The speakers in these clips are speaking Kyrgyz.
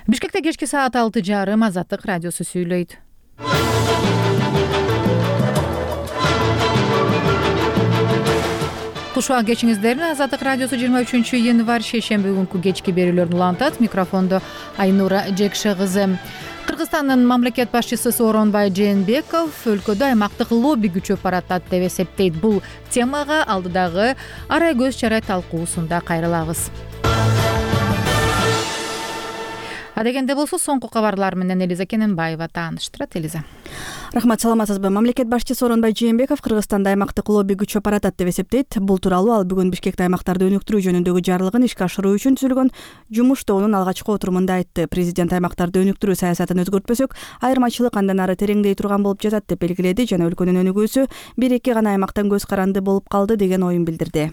Бишкекте кечки саат 6:30 Азаттык радиосу сүйлөйт. Кушуа кечиңиздерин Азаттык радиосу 23 январь шейшемби күнкү кечки берүүлөрүн улантат. Микрофондо Айнура Жекше кызы. Кыргызстандын мамлекет башчысы Сооронбай Жээнбеков өлкөдө аймактык лобби күчөп баратат деп эсептейт. Бул темага алдыдагы арай көз чарай талкуусунда кайрылабыз. Адегенде болсо соңку кабарлар менен Элиза Кененбаева тааныштырат. Элиза. Рахмат, саламатсызбы? Мамлекет башчысы Сооронбай Жээнбеков Кыргызстанда аймактык лобби күчөп баратат деп эсептейт. Бул тууралуу ал бүгүн Бишкекте аймактарды өнүктүрүү жөнүндөгү жарлыгын ишке ашыруу үчүн түзүлгөн жумуш тобунун алгачкы отурумунда айтты. Президент аймактарды өнүктүрүү саясатын өзгөртпөсөк, айырмачылык андан ары тереңдей турган болуп жатат деп белгиледи жана өлкөнүн өнүгүүсү 1-2 гана аймактан көз каранды болуп калды деген оюн билдирди.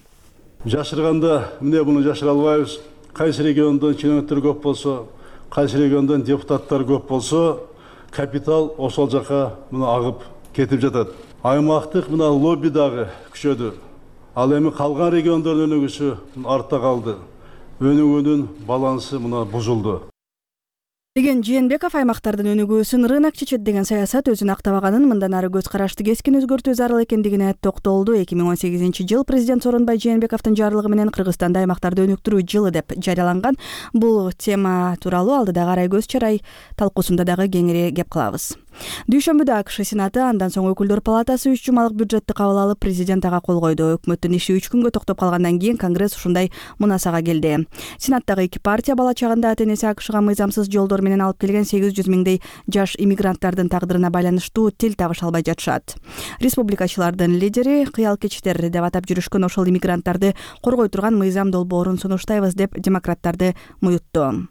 Жашырганда эмне буну жашыра албайбыз. Кайсы региондон чиновниктер көп болсо, кайсы региондон депутаттар көп болсо, капитал ошол жака мына агып кетип жатат. Аймактык мына лобби дагы күчөдү. Ал эми калган региондордун өнүгүүсү артта калды. Өнүгүүнүн балансы мына бузулду. Деген Жээнбеков аймактардын өнүгүүсүн рынок чечет деген саясат өзүн актабаганын, мындан ары көз карашты кескин өзгөртүү зарыл экендигине токтолду. 2018-жылы президент Сооронбай Жээнбековдун жарлыгы менен Кыргызстанда аймактарды өнүктүрүү жылы деп жарыяланган. Бул тема тууралуу алдыдагы арай көз чарай талкуусунда дагы кеңири кеп кылабыз. Дүйшөмбүдө АКШ Сенаты, андан соң Өкүлдөр палатасы 3 жумалык бюджетти кабыл алып, президент ага кол койду. Өкмөттүн иши 3 күнгө токтоп калгандан кийин Конгресс ушундай мунасага келди. Сенаттагы 2 партия бала чагында ата-энеси АКШга мыйзамсыз жолдор менен алып келген 800 миңдей жаш иммигранттардын тагдырына байланыштуу тил табыша албай жатышат. Республикачылардын лидери кыял кечтер деп атап жүрүшкөн ошол иммигранттарды коргой турган мыйзам долбоорун сунуштайбыз деп демократтарды муютту.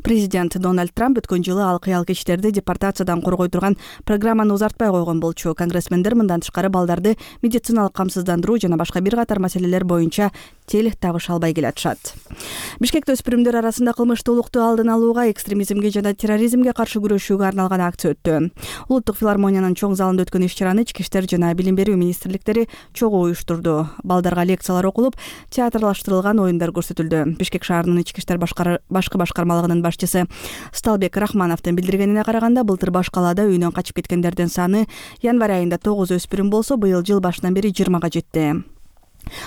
Президент Дональд Трамп өткөн жылы ал кыял кечтерди депортациядан коргой турган программаны узартпай койгон болчу. Конгрессмендер мындан тышкары балдарды медициналык камсыздандыруу жана башка бир катар маселелер боюнча тил табыша албай келатышат. Бишкекте өспүрүмдөр арасында кылмыштуулукту алдын алууга, экстремизмге жана терроризмге каршы күрөшүүгө арналган акция өттү. Улуттук филармониянын чоң залында өткөн иш-чараны Ички иштер жана билим берүү министрликтери чогуу уюштурду. Балдарга лекциялар окулуп, театрлаштырылган оюндар көрсөтүлдү. Бишкек шаарынын Ички иштер башкы башкармалыгынын башчысы Сталбек Рахмановдун билдиргенине караганда, былтыр баш калаада үйүнөн качып кеткендердин саны январь айында 9 өспүрүм болсо, быйыл жыл башынан бери 20га жетти.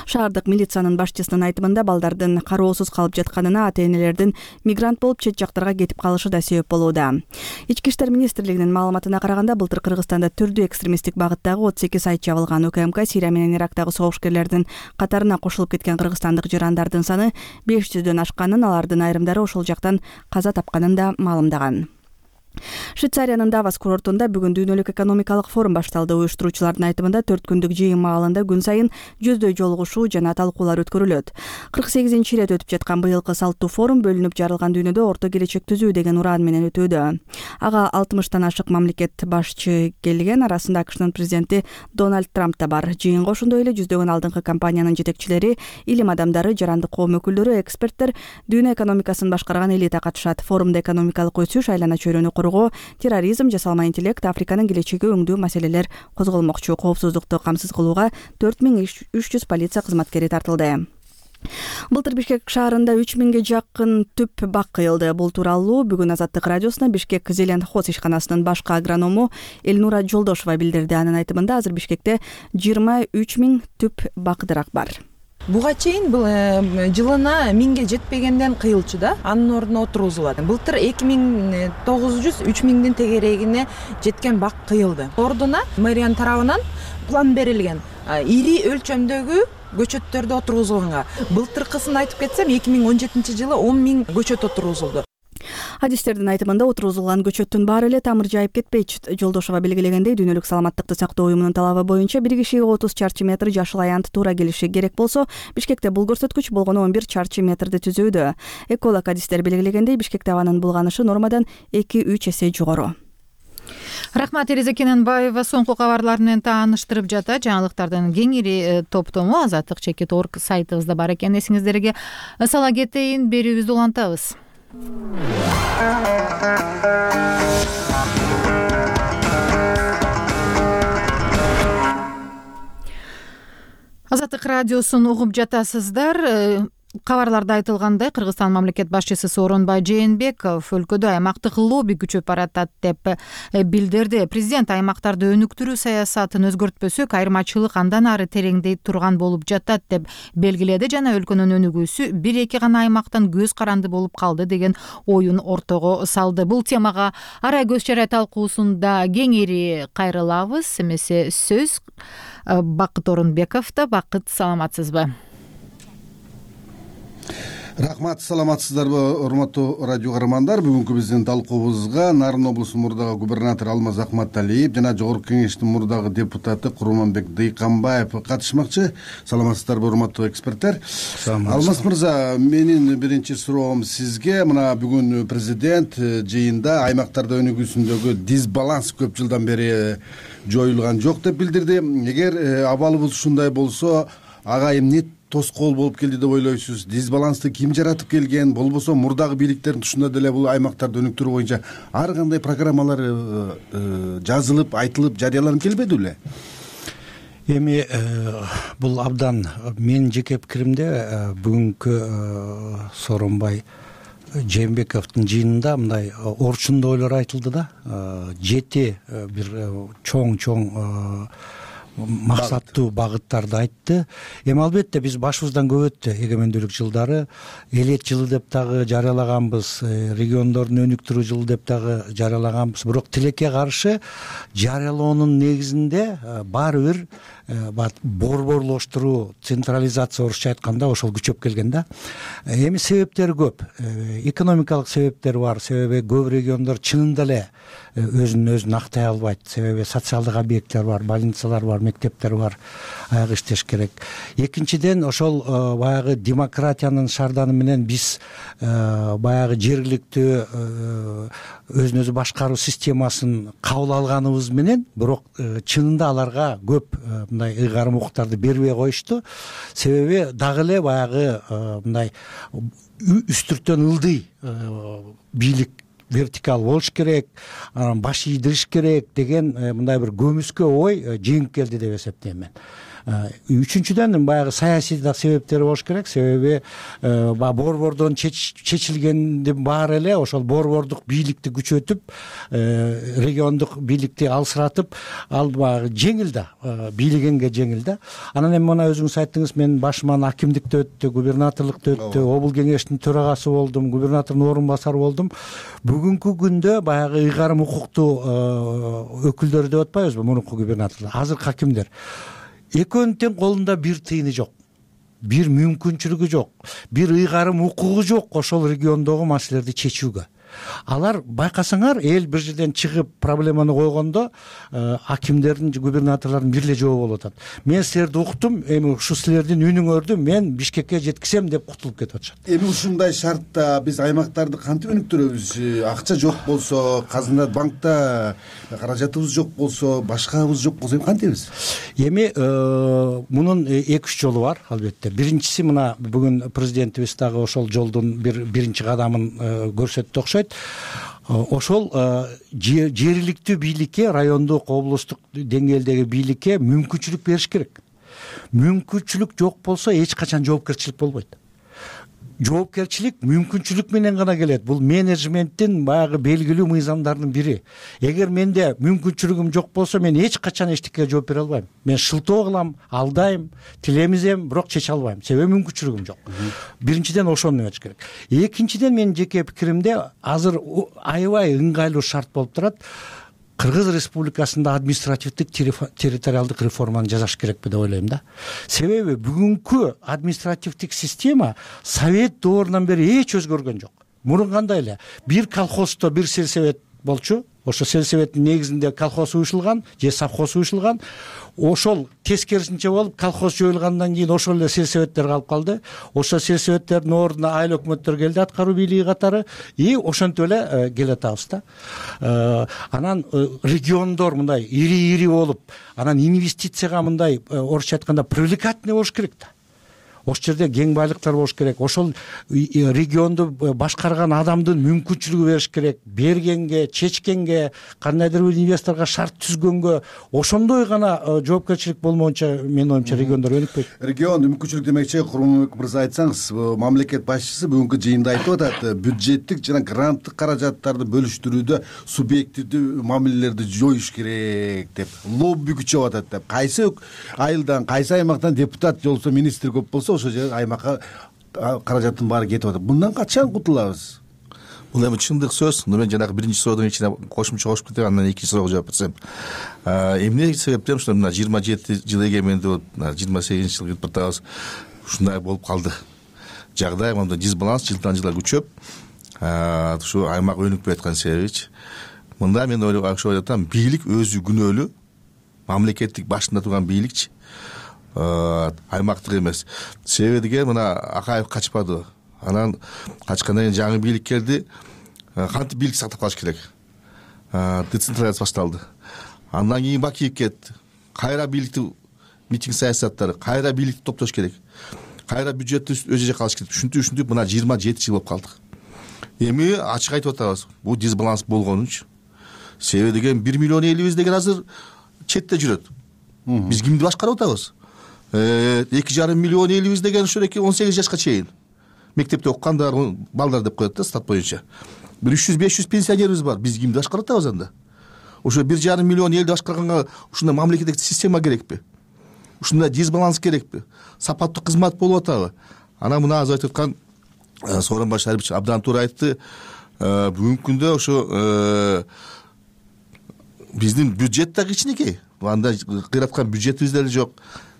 Шаардык милициянын башчысынын айтымында, балдардын кароосуз калып жатканына ата-энелердин мигрант болуп чет жактарга кетип калышы да себеп болууда. Ички иштер министрлигинин маалыматына караганда, былтыр Кыргызстанда түрдүү экстремисттик багыттагы 32 сайт жабылган. УКМК Сирия менен Ирактагы согушкерлердин катарына кошулуп кеткен кыргызстандык жарандардын саны 500дөн ашканын, алардын айрымдары ошол жактан каза тапканын да маалымдаган. Швейцариянын Давос курортунда бүгүн дүйнөлүк экономикалык форум башталды. Уюштуруучулардын айтымында 4 күндүк жыйын маалында күн сайын жүздөй жолугушуу жана талкуулар өткөрүлөт. 48-чи ирет өтүп жаткан быйылкы салттуу форум бөлүнүп жарылган дүйнөдө орто келечек түзүү деген ураан менен өтүүдө. Ага 60тан ашык мамлекет башчы келген, арасында АКШнын президенти Дональд Трамп да бар. Жыйынга ошондой эле жүздөгөн алдыңкы компаниянын жетекчилери, илим адамдары, жарандык коом өкүлдөрү, эксперттер, дүйнө экономикасын башкарган элита катышат. Форумда экономикалык өсүш, айлана чөйрөнү терроризм, жасалма интеллект, Африканын келечеги өңдүү маселелер козголмокчу. Коопсуздукту камсыз кылууга 4300 полиция кызматкери тартылды. Былтыр Бишкек шаарында 3000ге жакын түп бак кыйылды. Бул тууралуу бүгүн Азаттык радиосуна Бишкек Зеленхоз ишканасынын башкы агроному Элнура Жолдошова билдирди. Анын айтымында, азыр Бишкекте 23 000 түп бак-дырак бар. Буга чейин бул жылына 1000ге жетпегенден кыйылчу да, анын ордуна отургузулат. Былтыр 2900-3000дин тегерегине жеткен бак кыйылды. Ордуна мэриянын тарабынан план берилген. Ири өлчөмдөгү көчөттөрдү отургузулганга. Былтыркысын айтып кетсем, 2017-жылы 10 000 көчөт отургузулду. Адистердин айтымында, отургузулган көчөттүн баары эле тамыр жайып кетпейт. Жолдошова белгилегендей, дүйнөлүк саламаттыкты сактоо уюмунун талабы боюнча бир кишиге 30 чарчы метр жашыл аянт туура келиши керек болсо, Бишкекте бул көрсөткүч болгону 11 чарчы метрди түзүүдө. Эколог адистер белгилегендей, Бишкекте абанын булганышы нормадан 2-3 эсе жогору. Рахмат, Элиза Кененбаева соңку кабарлар менен тааныштырып жатат. Жаңылыктардын кеңири топтому Азаттык @org сайтыбызда бар экен. Эсиңиздерге сала кетейин, берүүбүздү улантабыз. Азаттык радиосун угуп жатасыздар. Кабарларда айтылгандай, Кыргызстан мамлекет башчысы Сооронбай Жээнбеков өлкөдө аймактык лобби күчөп баратат деп билдирди. Президент аймактарды өнүктүрүү саясатын өзгөртпөсөк, айырмачылык андан ары тереңдей турган болуп жатат деп белгиледи жана өлкөнүн өнүгүүсү бир-эки гана аймактан көз каранды болуп калды деген оюн ортого салды. Бул темага арай көз чарай талкуусунда кеңири кайрылабыз. Эмесе сөз Бакыт Орунбековдо. Бакыт, саламатсызбы? Рахмат, саламатсыздарбы, урматтуу радио каармандар. Бүгүнкү биздин талкуубузга Нарын облусунун мурдагы губернатору Алмаз Акматалиев жана Жогорку Кеңештин мурдагы депутаты Курманбек Дыйканбаев катышмакчы. Саламатсыздарбы, урматтуу эксперттер? Алмаз мырза, менин биринчи суроом сизге. Мына бүгүн президент жыйында аймактарда өнүгүүсүндөгү дисбаланс көп жылдан бери жоюлган жок деп билдирди. Эгер абалыбыз ушундай болсо, ага эмне тоскоол болуп келди деп ойлойсуз? Дисбалансты ким жаратып келген? Болбосо мурдагы бийликтердин тушунда деле бул аймактарды өнүктүрүү боюнча ар кандай программалар жазылып, айтылып, жарыяланып келбеди беле? Эми бул абдан менин жеке пикиримде бүгүнкү Сооронбай Жээнбековдун жыйынында мындай орчундуу ойлор айтылды да. 7 бир чоң максаттуу багыттарды айтты. Эми албетте биз башыбыздан көп өттү. Эгемендүүлүк жылдары элет жылы деп дагы жарыялаганбыз, региондордун өнүктүрүү жылы деп дагы жарыялаганбыз. Бирок тилекке каршы жарыялоонун негизинде баары бир борборлоштуруу, централизация орусча айтканда ошол күчөп келген да. Эми себептери көп. Экономикалык себептер бар. Себеби көп региондор чынында эле өзүн актай албайт. Себеби социалдык объекттер бар, больницалар бар, мектептер бар, аяк иштеш керек. Экинчиден, ошол баягы демократиянын шарданы менен биз баягы жергиликтүү өзүн өзү башкаруу системасын кабыл алганыбыз менен, бирок чынында аларга көп мындай ыйгарым укуктарды бербей коюшту. Себеби дагы эле баягы мындай үстүртөн ылдый бийлик вертикал болуш керек, анан баш ийдириш керек деген мындай бир көмүскө ой жеңип келди деп эсептейм мен. Үчүнчүдөн баягы саясий да себептери болуш керек. Себеби борбордон чечилгендин баары эле ошол борбордук бийликти күчөтүп, региондук бийликти алсыратып, ал баягы жеңил да, бийлегенге жеңил да. Анан эми мына өзүңүз айттыңыз, мен башыман акимдикте өттү, губернаторлукта өттү, обул кеңештин төрагасы болдум, губернатордун орун басары болдум. Бүгүнкү күндө баягы ыйгарым укуктуу өкүлдөр деп атпайбызбы, мурунку губернаторлор, азыркы акимдер. Экөөнүн тең колунда бир тыйыны жок, бир мүмкүнчүлүгү жок, бир ыйгарым укугу жок ошол региондогу маселелерди чечүүгө. Алар байкасаңар, эл бир жерден чыгып проблеманы койгондо акимдердин, губернаторлордун бир эле жообу болуп атат. Мен силерди уктум, эми ушу силердин үнүңөрдү мен Бишкекке жеткизем деп кутулуп кетип атышат. Эми ушундай шартта биз аймактарды кантип өнүктүрөбүз? Акча жок болсо, казына банкта каражатыбыз жок болсо, башкабыз жок болсо, эми кантебиз? Эми мунун 2-3 жолу бар, албетте. Биринчиси, мына бүгүн президентибиз дагы ошол жолдун биринчи кадамын көрсөттү окшойт. Ошол жергиликтүү бийликке, райондук, облустук деңгээлдеги бийликке мүмкүнчүлүк бериш керек. Мүмкүнчүлүк жок болсо эч качан жоопкерчилик болбойт. Жоопкерчилик мүмкүнчүлүк менен гана келет. Бул менеджменттин баягы белгилүү мыйзамдарынын бири. Эгер менде мүмкүнчүлүгүм жок болсо, мен эч качан эчтекеге жооп бере албайм. Мен шылтоо кылам, алдайм, тилемизем, бирок чече албайм. Себеби мүмкүнчүлүгүм жок. Биринчиден ошону эмеш керек. Экинчиден, менин жеке пикиримде азыр аябай ыңгайлуу шарт болуп турат. Кыргыз Республикасында административдик территориалдык реформаны жасаш керекпи деп ойлойм да. Себеби бүгүнкү административдик система Совет доорунан бери эч өзгөргөн жок. Мурун кандай эле бир колхоздо бир сельсовет болчу, ошо сельсоветтин негизинде колхоз уюшулган же совхоз уюшулган. Ошол тескерисинче болуп, колхоз жоюлгандан кийин ошол эле сельсоветтер калып калды. Ошол сельсоветтердин ордуна айыл өкмөттөр келди, аткаруу бийлиги катары, и ошентип эле келатабыз да. Анан региондор мындай ири болуп, анан инвестицияга мындай орусча айтканда привлекательный болуш керек да. ошол жерде кең байлыктар болуш керек, ошол регионду башкарган адамдын мүмкүнчүлүгү бериш керек, бергенге, чечкенге, кандайдыр бир инвесторго шарт түзгөнгө. Ошондой гана жоопкерчилик болмоюнча менин оюмча региондор өнүкпөйт. Регион мүмкүнчүлүк демекчи, Курманбек мырза, айтсаңыз, мамлекет башчысы бүгүнкү жыйында айтып атат, бюджеттик жана гранттык каражаттарды бөлүштүрүүдө субъективдүү мамилелерди жоюш керек деп, лобби күчөп атат деп. Кайсы айылдан, кайсы аймактан депутат жолсо, министр көп болсо, ошол жер аймакка каражаттын баары кетип атат. Мындан качан кутулабыз? Бул эми чындык сөз. Мен жанагы биринчи суроодун ичине кошумча кошуп кетем, андан экинчи суроого жооп берсем. Эмне себептен ушул мына 27 жыл эгемендүү, 28 жыл кирип атабыз. Ушундай болуп калды. Жагдай мындай дисбаланс жылдан жылга күчөп, ушу аймак өнүкпөй аткан себебичи. Мында мен ойлоп атам, бийлик өзү күнөөлүү, мамлекеттик башында турган бийликчи, аймактык эмес. Себеби деген мына Акаев качпады. Анан качкандан кийин жаңы бийлик келди. Кантип бийлик сактап калыш керек? Децентрализация башталды. Андан кийин Бакиев кетти. Кайра бийликти, митинг саясаттары, кайра бийликти топтош керек. Кайра бюджетти өз жакка алыш керек. Ушинтип мына 27 жыл болуп калдык. Эми ачык айтып атабыз. Бул дисбаланс болгонунчу. Себеби деген 1 миллион элибиз деген азыр четте жүрөт. Биз кимди башкарып атабыз? 2,5 миллион элибиз деген ошо 18 жашка чейин мектепте окугандар, балдар деп коет да стат боюнча. 300-500 пенсионерибиз бар. Биз кимди башкарып атабыз анда? Ошо 1,5 миллион элди башкарганга ушундай мамлекеттик система керекпи? Ушундай дисбаланс керекпи? Сапаттуу кызмат болуп атабы? Анан мына азыр айтып аткан Сооронбай Шарипович абдан туура айтты. Бүгүнкү күндө ошо биздин бюджет да кичинекей. Анда кыйраткан бюджетибиз деле жок.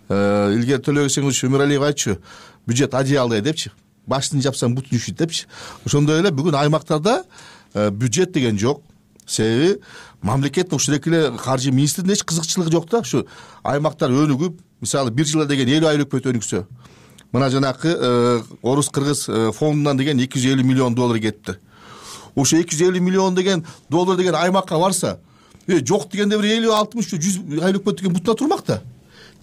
Илгери Төлөгөсеңиз Өмүралиев айтчу, бюджет одеялдай депчи. Башын жапсаң бутун үшүйт депчи. Ошондой эле бүгүн аймактарда бюджет деген жок. Себеби мамлекеттин ушул эле каржы министринин эч кызыкчылыгы жок да. Ушу аймактар өнүгүп, мисалы бир жылда деген 50 айлык өтө өнүксө. Мына жанакы орус-кыргыз фондунан деген 250 миллион доллар кетти. Ошо 250 миллион деген доллар деген аймакка барса, жок дегенде бир 50-60-100 айлык өтө деген бутуна турмак да.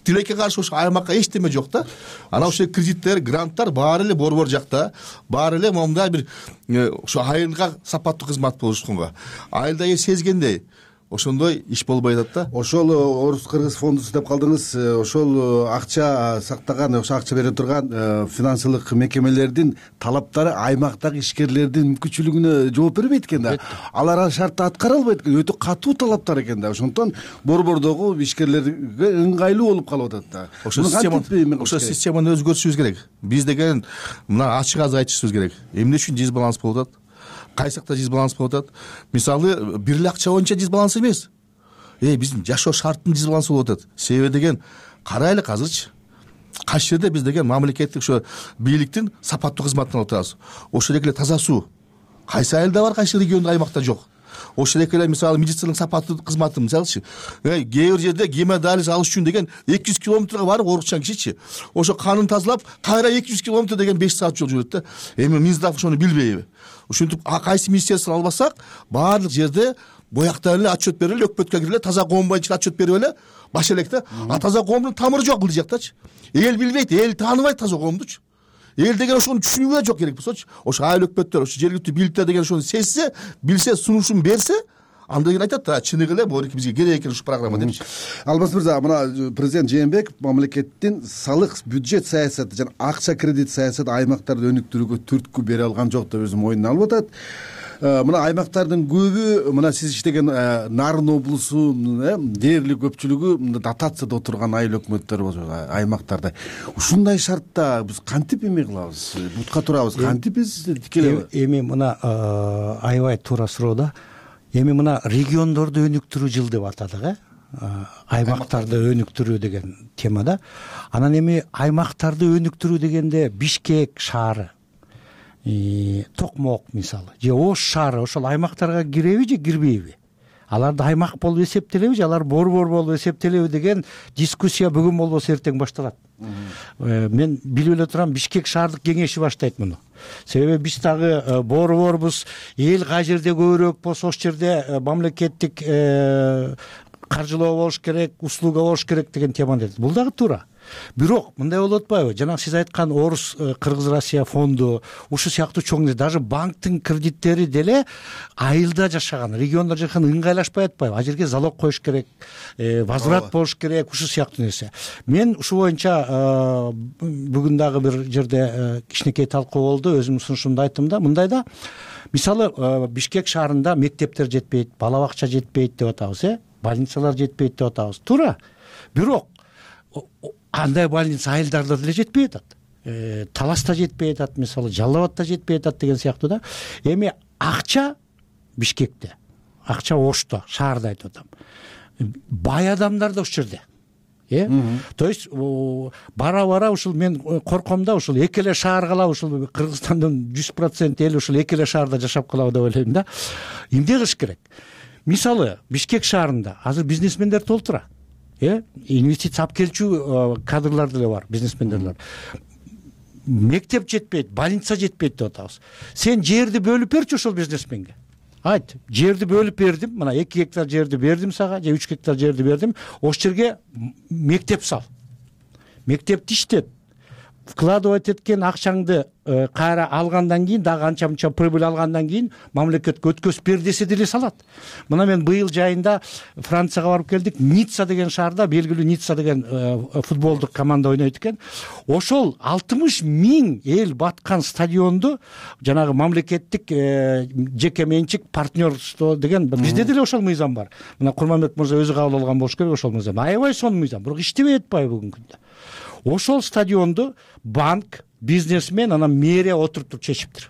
Тилекке каршы ошо аймакка эчтеме жок да. Анан ошо кредиттер, гранттар баары эле борбор жакта, баары эле момундай бир ошо айылга сапаттуу кызмат болушканга. Айылда сезгендей ошондой иш болбой атат да. Ошол орус-кыргыз фондусу деп калдыңыз, ошол акча сактаган, ошо акча бере турган финансылык мекемелердин талаптары аймактагы ишкерлердин мүмкүнчүлүгүнө жооп бербейт экен да. Алар шартты аткара албайт экен, өтө катуу талаптар экен да. Ошондон борбордогу ишкерлерге ыңгайлуу болуп калып атат да. Ошо системаны өзгөртүшүбүз керек. Биз деген мына ачык азыр айтышыбыз керек. Эмне үчүн дисбаланс болуп атат? Кайсакта дисбаланс болуп атат? Мисалы, бир эле акча боюнча дисбаланс эмес. Биздин жашоо шарттын дисбалансы болуп атат. Себеби деген карайлык азырчы. Кайсы жерде биз деген мамлекеттик ошо бийликтин сапаттуу кызматын алып атабыз. Ошол эле таза суу. Кайсы айылда бар, кайсы региондо, аймакта жок. Ошол эле мисалы медициналык сапаттуу кызматы мисалычы. Кээ бир жерде гемодиализ алыш үчүн деген 200 километрге барып оорукчан кишичи. Ошо канын тазалап, кайра 200 километр деген 5 саат жол жүрөт да. Эми Минздрав ошону билбейби? Ушинтип кайсы министерство албасак, баардык жерде бояктан эле отчет берип эле, өкмөткө кирип эле таза коом боюнча отчет берип эле баш элек да. Таза коомдун тамыры жок бул жактачы. Эл билбейт, эл тааныбайт таза коомдучу. Эл деген ошону түшүнүүгө да жок керек болсочу. Ошо айыл өкмөттөр, ошо жергиликтүү бийликтер деген ошону сезсе, билсе, сунушун берсе, андан кийин айтат да, чыныгы эле бул бизге керек экен ушул программа депчи. Алмаз мырза, мына президент Жээнбеков мамлекеттин салык, бюджет саясаты жана акча кредит саясаты аймактарды өнүктүрүүгө түрткү бере алган жок деп өзү мойнуна алып атат. Мына аймактардын көбү, мына сиз иштеген Нарын облусунун дээрлик көпчүлүгү дотацияда отурган айыл өкмөттөр болчу аймактарда. Ушундай шартта биз кантип эме кылабыз? Бутка турабыз, кантип биз тикелей? Эми мына аябай туура суроо да. Эми мына региондорду өнүктүрүү жыл деп атадык, аймактарды өнүктүрүү деген темада. Анан эми аймактарды өнүктүрүү дегенде Бишкек шаары, Токмок мисалы, же Ош шаары ошол аймактарга киреби же кирбейби? Аларды аймак болуп эсептелеби же алар борбор болуп эсептелеби деген дискуссия бүгүн болбосо эртең башталат. Мен билип эле турам, Бишкек шаардык кеңеши баштайт муну. Себеби биз дагы борборбуз, эл кай жерде көбүрөөк болсо ошол жерде мамлекеттик каржылоо болуш керек, услуга болуш керек деген теманы. Бул дагы туура. бирок мындай болуп атпайбы, жанагы сиз айткан Орус Кыргыз Россия фонду ушул сыяктуу чоң даже банктын кредиттери деле айылда жашаган, региондо жашаган ыңгайлашпай атпайбы? А жерге залог коюш керек, возврат болуш керек, ушул сыяктуу нерсе. Мен ушул боюнча бүгүн дагы бир жерде кичинекей талкуу болду, өзүмдүн сунушумду айттым да, мындай да, мисалы Бишкек шаарында мектептер жетпейт, бала бакча жетпейт деп атабыз, больницалар жетпейт деп атабыз. Туура. Бирок андай больница айылдарда деле жетпей атат. Таласта жетпей атат, мисалы Жалал Абадта жетпей атат деген сыяктуу да. Эми акча Бишкекте, акча Ошто, шаарда айтып атам. Бай адамдар да ушул жерде. То есть бара ушул мен корком да, ушул эки эле шаар калабы, ушул Кыргызстандын 100% эли ушул эки эле шаарда жашап калабы деп ойлойм да. Эмне кылыш керек? Мисалы Бишкек шаарында азыр бизнесмендер толтура. Инвестиция алып келчү кадрлар деле бар, бизнесмендерлер. Мектеп жетпейт, больница жетпейт деп атабыз. Сен жерди бөлүп берчи ошол бизнесменге. Айт, жерди бөлүп бердим, мына 2 гектар жерди бердим сага, же 3 гектар жерди бердим, ошол жерге мектеп сал. Мектепти иштет. Вкладывать эткен акчаңды кайра алгандан кийин, дагы анча-мынча прибыль алгандан кийин мамлекетке өткөзүп бер десе деле салат. Мына мен быйыл жайында Францияга барып келдик. Ницца деген шаарда белгилүү Ницца деген футболдук команда ойнойт экен. Ошол 60 000 эл баткан стадионду жанагы мамлекеттик жеке менчик партнерство деген бизде деле ошол мыйзам бар. Мына Курманбек мырза өзү кабыл алган болуш керек ошол мыйзам. Аябай сонун мыйзам, бирок иштебей атпайбы бүгүнкү күндө. Ошол стадионду банк, бизнесмен, анан мэрия отуруп чечиптир.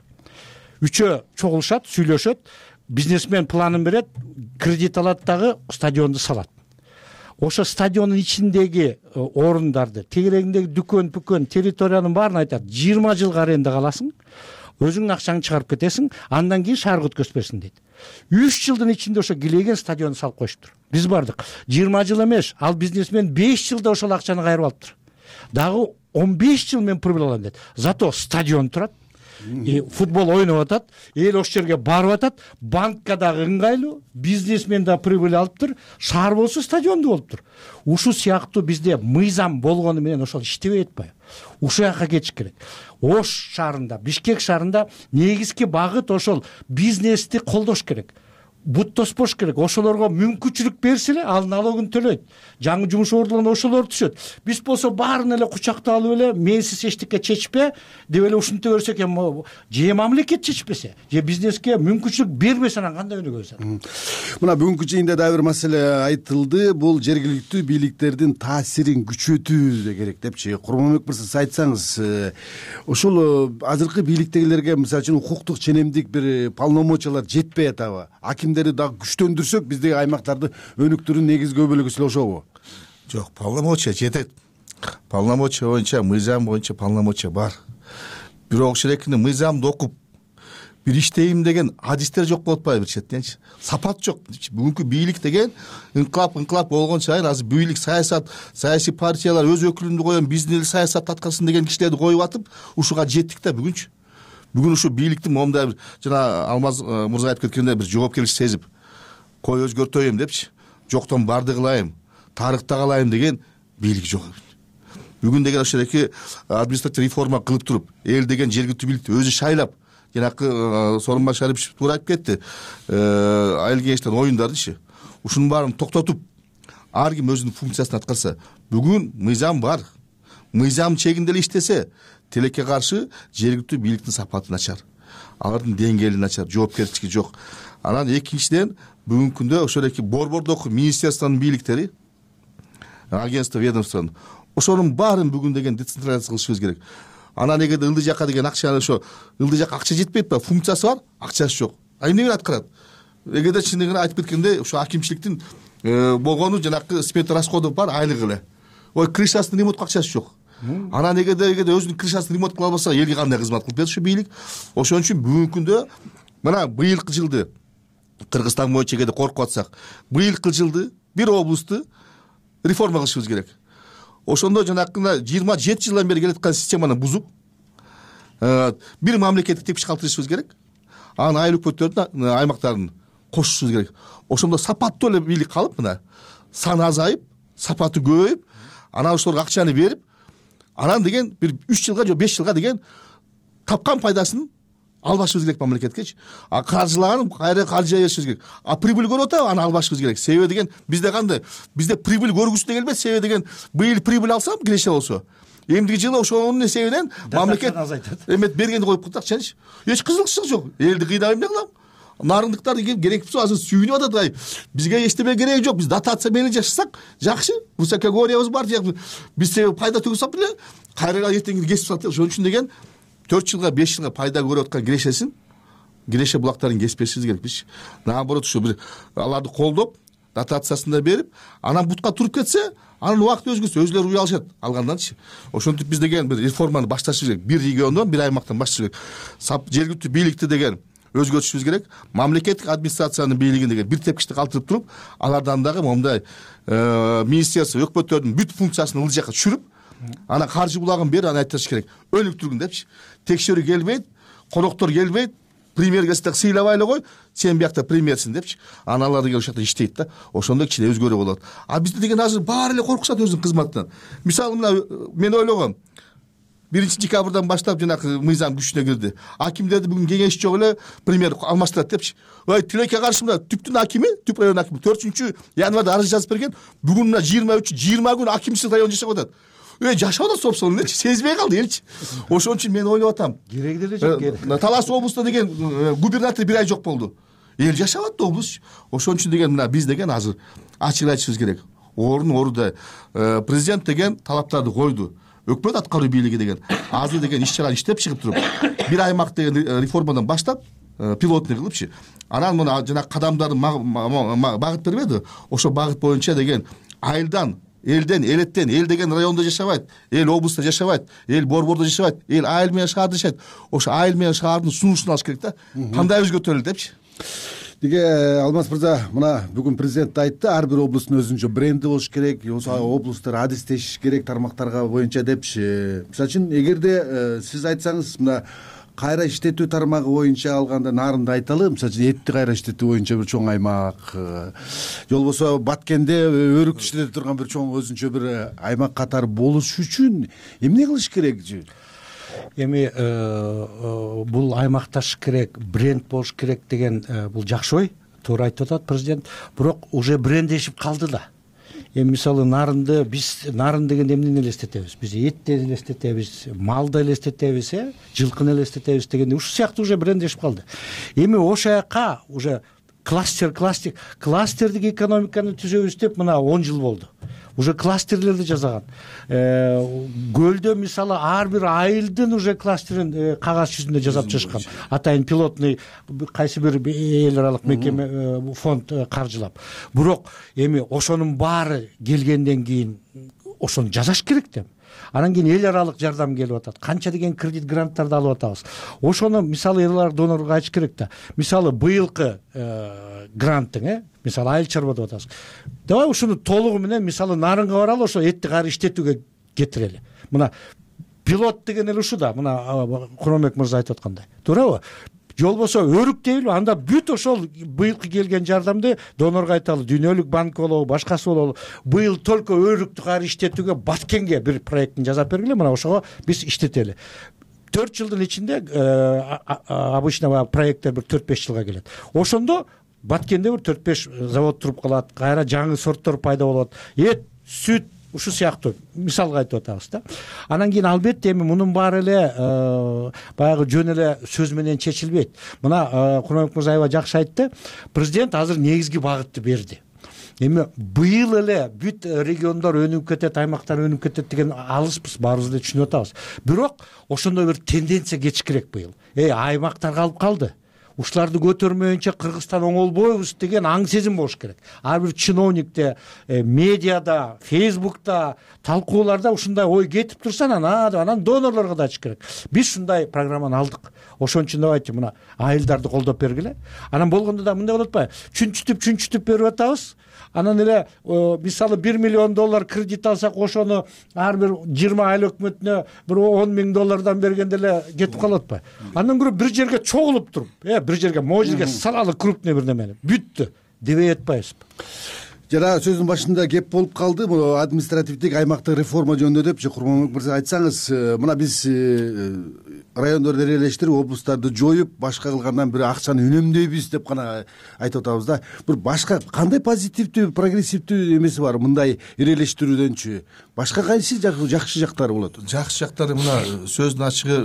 Үчөө чогулушат, сүйлөшөт, бизнесмен планын берет, кредит алат дагы стадионду салат. Ошо стадиондун ичиндеги орундарды, тегерегиндеги дүкөн, территориянын баарын айтат. 20 жылга аренда каласың, өзүңдүн акчаңды чыгарып кетесиң, андан кийин шаарга өткөзбөсүң дейт. 3 жылдын ичинде ошо килеген стадионду салып коюштур. Биз бардык. 20 жыл эмес, ал бизнесмен 5 жылда ошол акчаны кайрып алыптыр. Дагы 15 жыл мен прибыль алам дейт. Зато стадион турат, футбол ойноп атат, эл ошол жерге барып атат, банкка дагы ыңгайлуу, бизнесмен да прибыль алыптыр, шаар болсо стадионду болуптур. Ушул сыяктуу бизде мыйзам болгону менен ошол иштебей атпайбы? Ушул жака кетиш керек. Ош шаарында, Бишкек шаарында негизги багыт ошол бизнести колдош керек. Бут тоспош керек. Ошолорго мүмкүнчүлүк берсе эле ал налогун төлөйт. Жаңы жумуш ордуна ошолор түшөт. Биз болсо баарын эле кучакта алып эле менсиз эчтеке чечпе деп эле ушинте берсек эми же мамлекет чечпесе, же бизнеске мүмкүнчүлүк бербесе анан кандай өнүгөбүз? Мына бүгүнкү жыйында дагы бир маселе айтылды. Бул жергиликтүү бийликтердин таасирин күчөтүү керек депчи. Курманбек мырза, сиз айтсаңыз, ушул азыркы бийликтегилерге мисалы үчүн укуктук ченемдик бир полномочиялар жетпей атабы? Дагы күчтөндүрсөк биздеги аймактарды өнүктүрүүнүн негизги бөлүгү сил ошобу? Жок, полномочия жетет. Полномочия боюнча, мыйзам боюнча полномочия бар. Бирок ошол экини мыйзамды окуп бир иштейм деген адистер жок болуп атпайбы бир четиненчи? Сапат жок. Бүгүнкү бийлик деген инкылап болгон сайын азыр бийлик, саясат, саясий партиялар өз өкүлүндү коем, биздин эл саясат аткарсын деген кишилерди коюп атып, ушуга жеттик да бүгүнчү. Бүгүн ушу бийликтин момундай бир жана Алмаз мырза айтып кеткендей бир жоопкерчилик сезип, кой өзгөртөйм депчи, жоктон барды кылайым, тарыхта калайым деген бийлик жок. Бүгүн деген ошол эки административдик реформа кылып туруп, эл деген жергиликтүү бийликти өзү шайлап, жанакы Сооронбай Шарипович туура айтып кетти, айыл кеңештин оюндардычы. Ушунун баарын токтотуп, ар ким өзүнүн функциясын аткарса, бүгүн мыйзам бар. Мыйзам чегинде эле иштесе, тилекке каршы жергиликтүү бийликтин сапаты начар, алардын деңгээли начар, жоопкерчилиги жок. Анан экинчиден бүгүнкү күндө ошол эки борбордогу министерствонун бийликтери, агентство, ведомствонун ошонун баарын бүгүн деген децентрализация кылышыбыз керек. Анан эгерде ылдый жакка деген акчаны ошо ылдый жакка акча жетпейт ба, функциясы бар, акчасы жок. Эмне менен аткарат? Эгерде чындыгын айтып кеткенде ошо акимчиликтин болгону жанакы смета расходу бар, айлык эле. Ой, крышасын ремонтко акчасы жок. Анан эгерде өзүнүн крышасын ремонт кыла албаса, элге кандай кызмат кылып берет ушу бийлик? Ошон үчүн бүгүнкү күндө мына быйылкы жылды Кыргызстан боюнча эгерде коркуп атсак, быйылкы жылды бир облусту реформа кылышыбыз керек. Ошондо жанакы 27 жылдан бери келаткан системаны бузуп, бир мамлекеттик тепкич калтырышыбыз керек. Анан айыл өкмөттөрдүн аймактарын кошушубуз керек. Ошондо сапаттуу эле бийлик калып, мына саны азайып, сапаты көбөйүп, анан ошолорго акчаны берип, анан деген бир 3 жылга же 5 жылга деген тапкан пайдасын албашыбыз керек мамлекеткечи. Каржылаган кайра каржы беришибиз керек. Прибыль көрүп атабы, аны албашыбыз керек. Себеби деген бизде кандай? Бизде прибыль көргүсү да келбейт. Себеби деген быйыл прибыль алсам киреше болсо, эмдиги жылы ошонун эсебинен мамлекет эмет бергенди коюп калдыкчы. Эч кызыкчылык жок. Элди кыйнап эмне кылам? Нарындыктар керек болсо азыр сүйүнүп атат. Бизге эчтеме кереги жок. Биз дотация менен жашасак жакшы. Высокогорьябыз бар. Биз пайда түгүсөк эле кайра эртең кесип салат. Ошон үчүн деген 4 жылга 5 жылга пайда көрүп аткан киреше булактарын кеспешибиз керек. Биз наоборот ушу бир аларды колдоп, дотациясын да берип, анан бутка туруп кетсе, анын убакыты өзгөчө, өзүлөрү уялышат алганданчы. Ошентип биз деген бир реформаны башташыбыз керек. Бир региондон, бир аймактан башташыбыз керек. Жергиликтүү бийликти деген өзгөртүшүбүз керек. Мамлекеттик администрациянын бийлигин деген бир тепкичте калтырып туруп, алардан дагы момундай министерство, өкмөттөрдүн бүт функциясын ыл жакка түшүрүп, ана каржы булагын бери аны айтыш керек. Өнүктүргүн депчи. Текшерүү келбейт, коноктор келбейт, премьер келсе сыйлабай эле кой, сен биякта премьерсиң депчи. Аналар деген ошол жакта иштейт да. Ошондо кичине өзгөрүү болот. Бизде деген азыр баары эле коркушат өзүнүн кызматынан. Мисалы мына мен ойлогом, 1-декабрдан баштап жанагы мыйзам күчүнө кирди. Акимдерди бүгүн кеңеш жок эле премьер алмаштырат депчи. Тилекке каршы мына түптүн акими, түп район акими 4-январда арыз жазып берген. Бүгүн мына 20 күн акимсиз район жашап атат. Жашап атат собственно элчи, сезбей калды элчи. Ошон үчүн мен ойлоп атам. Кереги деле жок. Талас облусунда деген губернатор 1 ай жок болду. Эл жашап атты облус. Ошон үчүн деген мына биз деген азыр ачык айтышыбыз керек. Орунда президент деген талаптарды койду. Өкмөт аткаруу бийлиги деген азыр деген иш-чара иштеп чыгып туруп, бир аймак деген реформадан баштап пилотный кылыпчы. Анан мына жана кадамдарын багыт бербеди. Ошо багыт боюнча деген айылдан, элден, элеттен, эл деген райондо жашабайт, эл облустта жашабайт, эл борбордо жашабайт, эл айыл менен шаарда жашайт. Ошо айыл менен шаардын сунушун алыш керек да. Кандай өзгөртөлү депчи. Деге Алмаз мырза, мына бүгүн президент айтты, ар бир облустун өзүнчө бренди болуш керек, облустар адистешиш керек тармактарга боюнча депчи. Мисалы үчүн эгерде сиз айтсаңыз, мына кайра иштетүү тармагы боюнча алганда нарынды айталы, мисалы үчүн этти кайра иштетүү боюнча бир чоң аймак, же болбосо Баткенде өрүк иштете турган бир чоң өзүнчө бир аймак катары болуш үчүн эмне кылыш керек? Эми бул аймакташ керек, бренд болуш керек деген бул жакшы ой, туура айтып атат президент. Бирок уже брендешип калды да. Эми мисалы нарынды биз нарын деген эмнени элестетебиз? Биз этти элестетебиз, малды элестетебиз, жылкыны элестетебиз дегенде ушул сыяктуу уже брендешип калды. Эми ошол жака уже кластердик экономиканы түзөбүз деп мына 10 жыл болду. Уже кластерлерди жасаган. Көлдө мисалы ар бир айылдын уже кластерин кагаз жүзүндө жасап чыгышкан. Атайын пилотный кайсы бир эл аралык мекеме фонд каржылап. Бирок эми ошонун баары келгенден кийин ошону жасаш керек да. Анан кийин эл аралык жардам келип атат. Канча деген кредит гранттарды алып атабыз. Ошону мисалы эл аралык донорго айтыш керек да. Мисалы быйылкы гранттың, мисалы айыл чарба деп атабыз. Давай ушуну толугу менен мисалы нарынга баралы, ошо этти кайра иштетүүгө кетирели. Мына пилот деген эле ушу да. Мына Куромбек мырза айтып аткандай. Туурабы? Же болбосо өрүк дейбиз, анда бүт ошол быйылкы келген жардамды донорго айталы, Дүйнөлүк банк болобу, башкасы болобу. Быйыл только өрүктү кайра иштетүүгө Баткенге бир проектин жасап бергиле, мына ошого биз иштетели. 4 жылдын ичинде обычно проекттер бир 4-5 жылга келет. Ошондо Баткенде бир 4-5 завод туруп калат, кайра жаңы сорттор пайда болот. Эт, сүт ушул сыяктуу мисалга айтып атабыз да. Анан кийин албетте эми мунун баары эле баягы жөн эле сөз менен чечилбейт. Мына Куромбек мырза аябай жакшы айтты. Президент азыр негизги багытты берди. Эми быйыл эле бүт региондор өнүгүп кетет, аймактар өнүгүп кетет деген алыспыз, баарыбыз эле түшүнүп атабыз. Бирок ошондой бир тенденция кетишкирээк быйыл. Аймактар калып калды. Ушуларды көтөрмөйүнчө Кыргызстан оңолбойбуз деген аң сезим болуш керек. Ар бир чиновникте, медиада, Фейсбукта, талкууларда ушундай ой кетип турса, анан донорлорго да айтыш керек. Биз ушундай программаны алдык. Ошон үчүн давайте мына айылдарды колдоп бергиле. Анан болгондо да мындай болот атпайбы? Чүнчүтүп берип атабыз. Анан эле мисалы $1 миллион кредит алсак, ошону ар бир 20 айыл өкмөтүнө бир $10 000 бергенде эле кетип калат атпайбы? Андан көрө бир жерге чогулуп туруп, бир жерге могу жерге салалы крупный бир немени бүттү дебей атпайбызбы? жана сөздүн башында кеп болуп калды бул административдик аймактык реформа жөнүндө депчи. Курманбек мырза, айтсаңыз, мына биз райондорду ээрелештирип, облустарды жоюп, башка кылгандан бир акчаны үнөмдөйбүз деп гана айтып атабыз да. Бир башка кандай позитивдүү, прогрессивдүү эмеси бар мындай ээрелештирүүдөнчү? Башка кайсы жакшы жактары болот? Жакшы жактары мына сөздүн ачыгы,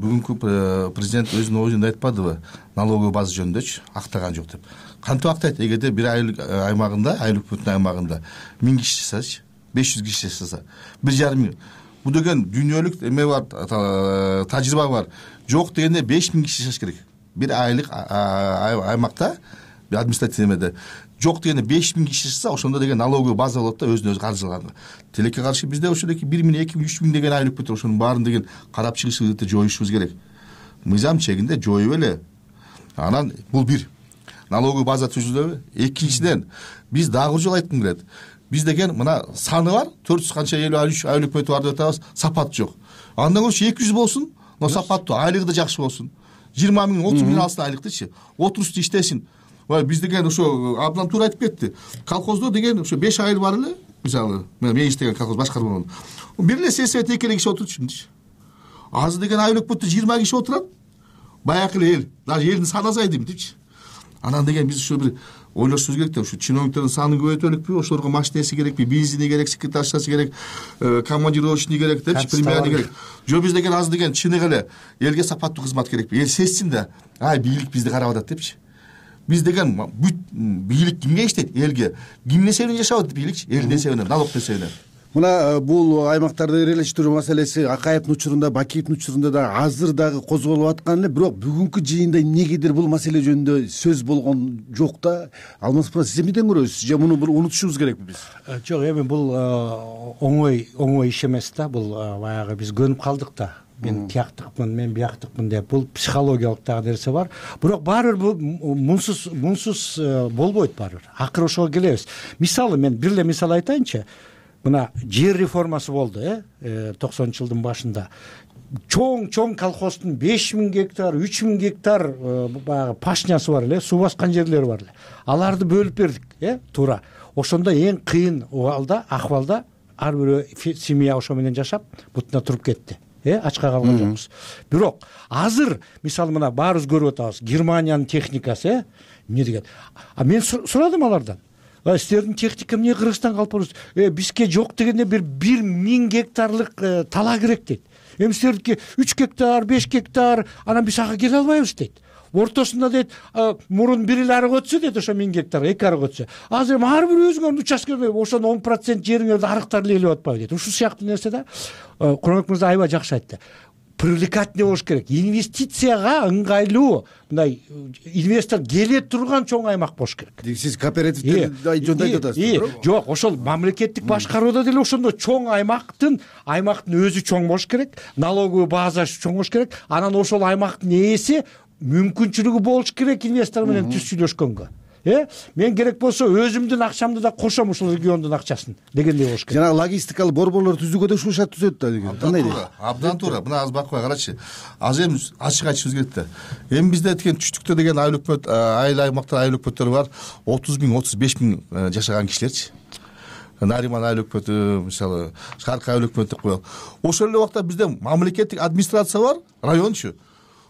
бүгүнкү президент өзүнүн оюнда айтпадыбы, налоговый база жөнүндөчү актаган жок деп. Кантип актайт? Эгерде бир айлык аймагында, айлык бүтүн аймагында 1000 киши жасасачы, 500 киши жасаса, 1,5 миң. Бул деген дүйнөлүк эме бар, тажрыйба бар. Жок дегенде 5000 киши жашаш керек. Бир айлык аймакта, административный эмеде. Жок дегенде 5000 киши жашаса, ошондо деген налоговый база болот да, өзүнө өзү каржыланган. Тилекке каршы бизде ошодоки 1 миң, 2 миң, 3 миң деген айлык бүтүр. Ошонун баарын деген карап чыгышыбызды жоюшубуз керек. Мыйзам чегинде жоюп эле. Анан бул бир налоговый база түзүлөбү. Экинчиден, биз дагы бир жолу айткым келет. Биз деген мына саны бар, 400 канча 53 айлык бүтү бар деп атабыз, сапат жок. Андан көрсө 200 болсун, но сапаттуу, айлыгы да жакшы болсун. 20 миң, 30 миң алсын айлыктычы. Отурусту иштесин. Биз деген ошо абдан туура айтып кетти. Колхоздо деген ошо 5 айыл бар эле. Мисалы, мен иштеген колхоз башкармаган. Бир эле сельсовет 2 киши отурчумчу. Азыр деген айлык бүтү 20 киши отурат. Баягы эле эл, даже элдин саны азайды депчи. Анан деген биз ушу бир ойлошубуз керек да, ушу чиновниктердин санын көбөйтөлүкпү, ошолорго машинеси керекпи, бензини керек, секретаршасы керек, командировочный керек депчи, премиальный керек. Жо биз деген азыр деген чыныгы эле элге сапаттуу кызмат керекпи. Эл сезсин да, бийлик бизди карап атат депчи. Биз деген бүт бийлик кимге иштейт? Элге. Кимдин эсебинен жашап атат бийликчи? Элдин эсебинен, налогдун эсебинен. Мына бул аймактарды ээрелештирүү маселеси Акаевдин учурунда, Бакиевдин учурунда да азыр дагы козголуп аткан эле, бирок бүгүнкү жыйында эмнегедир бул маселе жөнүндө сөз болгон жок да. Алмаз мырза, сиз эмнеден көрөсүз? Же муну бир унутушубуз керекпи биз? Жок, эми бул оңой иш эмес да. Бул баягы биз көнүп калдык да. Мен тияктыкмын, мен бияктыкмын деп. Бул психологиялык дагы нерсе бар. Бирок баары бир бул мунсуз болбойт баары бир. Акыры ошого келебиз. Мисалы, мен бир эле мисал айтайынчы. Мына жер реформасы болду, 90-жылдын башында. Чоң колхоздун 5000 гектар, 3000 гектар баягы пашнясы бар эле, суу баскан жерлери бар эле. Аларды бөлүп бердик, туура. Ошондо эң кыйын акыбалда ар бир семья ошо менен жашап, бутуна туруп кетти. Ачка калган жокпуз. Бирок азыр мисалы мына баарыбыз көрүп атабыз, Германиянын техникасы, эмне деген. Мен сурадым алардан. Силердин техника эмне Кыргызстанга алып барасыз? Бизге жок дегенде бир 1000 гектарлык тала керек дейт. Эми силердики 3 гектар, 5 гектар, анан биз ага келе албайбыз дейт. Ортосунда дейт, мурун бир эле арык өтсө дейт, ошо 1000 гектар, 2 арык өтсө. Азыр эми ар бир өзүңөрдүн участкеңде ошонун 10% жериңерди арыктар ээлеп атпайбы дейт. Ушул сыяктуу нерсе да. Курманбек мырза аябай жакшы айтты. Привлекательный болуш керек. Инвестицияга ыңгайлуу, мындай инвестор келе турган чоң аймак болуш керек. Сиз кооперативдерди жөнүндө айтып атасыз. Жок, ошол мамлекеттик башкарууда деле ошондо чоң аймактын өзү чоң болуш керек, налоговый базасы чоң болуш керек. Анан ошол аймактын ээси мүмкүнчүлүгү болуш керек инвестор менен түз сүйлөшкөнгө. Мен керек болсо өзүмдүн акчамды да кошом ушул региондун акчасын дегендей болуш керек. Жана логистикалык борборлор түзүүгө да ушул шарт түзөт да деген. Кандай дейт? Абдан туура. Мына азыр бакпай карачы. Азыр эми ачык айтышыбыз керек да. Эми бизде деген түштүктө деген айыл өкмөт, айыл аймактар айыл өкмөттөрү бар. 30 миң, 35 миң жашаган кишилерчи. Нариман айыл өкмөтү, мисалы, Шаркы айыл өкмөтү деп коелу. Ошол эле убакта бизде мамлекеттик администрация бар, райончу.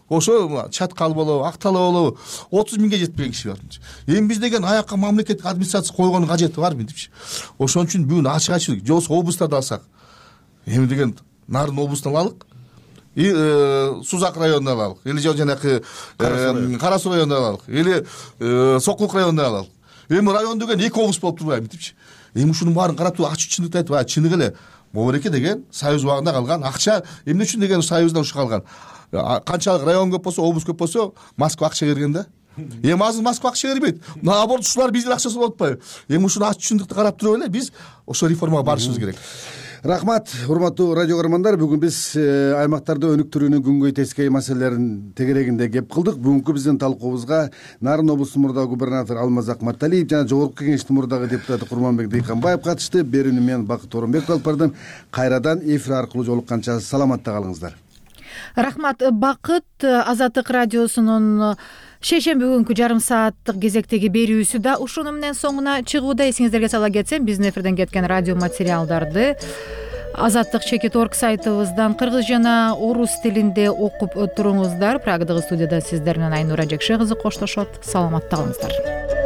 Ошо Чаткал болобу, Актала болобу 30 миңге жетпеген киши бар. Эми биз деген аякка мамлекеттик администрация койгондун кажети барбы депчи. Ошон үчүн бүгүн ачык айтып, жобосу облустарды алсак. Эми деген Нарын облустун алалык. Сузак районунан алалык. Или жанакы Кара Суу районунан алалык. Или Сокулук районунан алалык. Эми район деген 2 облус болуп турбайбы депчи. Эми ушунун баарын карап туруп ачык чындыкты айтып, чыныгы эле Бобореке деген союз убагында калган акча эмне үчүн деген союздан ушу калган. Канчалык район көп болсо, облус көп болсо, Москва акча берген да. Эми азыр Москва акча бербейт. Наоборот, ушулар биздин акчасы болуп атпайбы? Эми ушуну ачык чындыкты карап туруп эле биз ошо реформага барышыбыз керек. Рахмат, урматтуу радио көрөрмандар. Бүгүн биз аймактарды өнүктүрүүнүн күнгөй тескей маселелерин тегерегинде кеп кылдык. Бүгүнкү биздин талкуубузга Нарын облусунун мурдагы губернатору Алмаз Акматалиев жана Жогорку Кеңештин мурдагы депутаты Курманбек Дыйканбаев катышты. Берүүнү мен Бакыт Оронбеков алып бардым. Кайрадан эфир аркылуу жолукканча саламатта калыңыздар. Рахмат, Бакыт. Азаттык радиосунун шейшемби күнкү жарым сааттык кезектеги берүүсү да ушуну менен соңуна чыгууда. Эсиңиздерге сала кетсем, биздин эфирден кеткен радио материалдарды Азаттык Чекит.орг сайтыбыздан кыргыз жана орус тилинде окуп туруңуздар. Прагадагы студияда сиздер менен Айнура Жекше кызы коштошот. Саламатта калыңыздар.